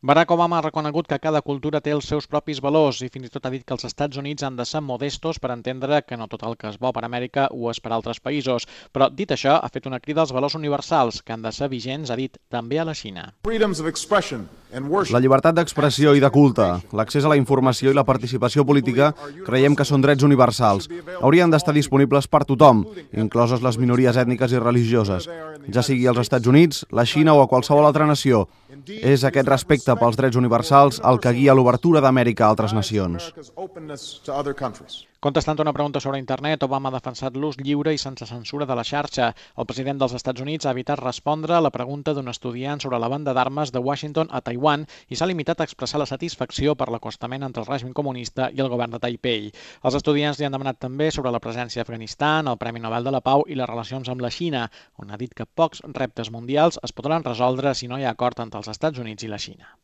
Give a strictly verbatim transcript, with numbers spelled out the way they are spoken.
Barack Obama ha reconegut que cada cultura té els seus propis valors i fins i tot ha dit que els Estats Units han de ser modestos per entendre que no tot el que és bo per Amèrica ho és per altres països. Però, dit això, ha fet una crida als valors universals, que han de ser vigents, ha dit, també a la Xina. La llibertat d'expressió i de culte, l'accés a la informació i la participació política creiem que són drets universals. Haurien d'estar disponibles per tothom, incloses les minories ètniques i religioses, ja sigui als Estats Units, la Xina o a qualsevol altra nació. És aquest respecte pels drets universals el que guia l'obertura d'Amèrica a altres nacions. Contestant a una pregunta sobre internet, Obama ha defensat l'ús lliure i sense censura de la xarxa. El president dels Estats Units ha evitat respondre a la pregunta d'un estudiant sobre la venda d'armes de Washington a Taiwan i s'ha limitat a expressar la satisfacció per l'acostament entre el règim comunista i el govern de Taipei. Els estudiants li han demanat també sobre la presència a Afganistan, el Premi Nobel de la Pau i les relacions amb la Xina, on ha dit que pocs reptes mundials es podran resoldre si no hi ha acord entre els Estats Units i la Xina.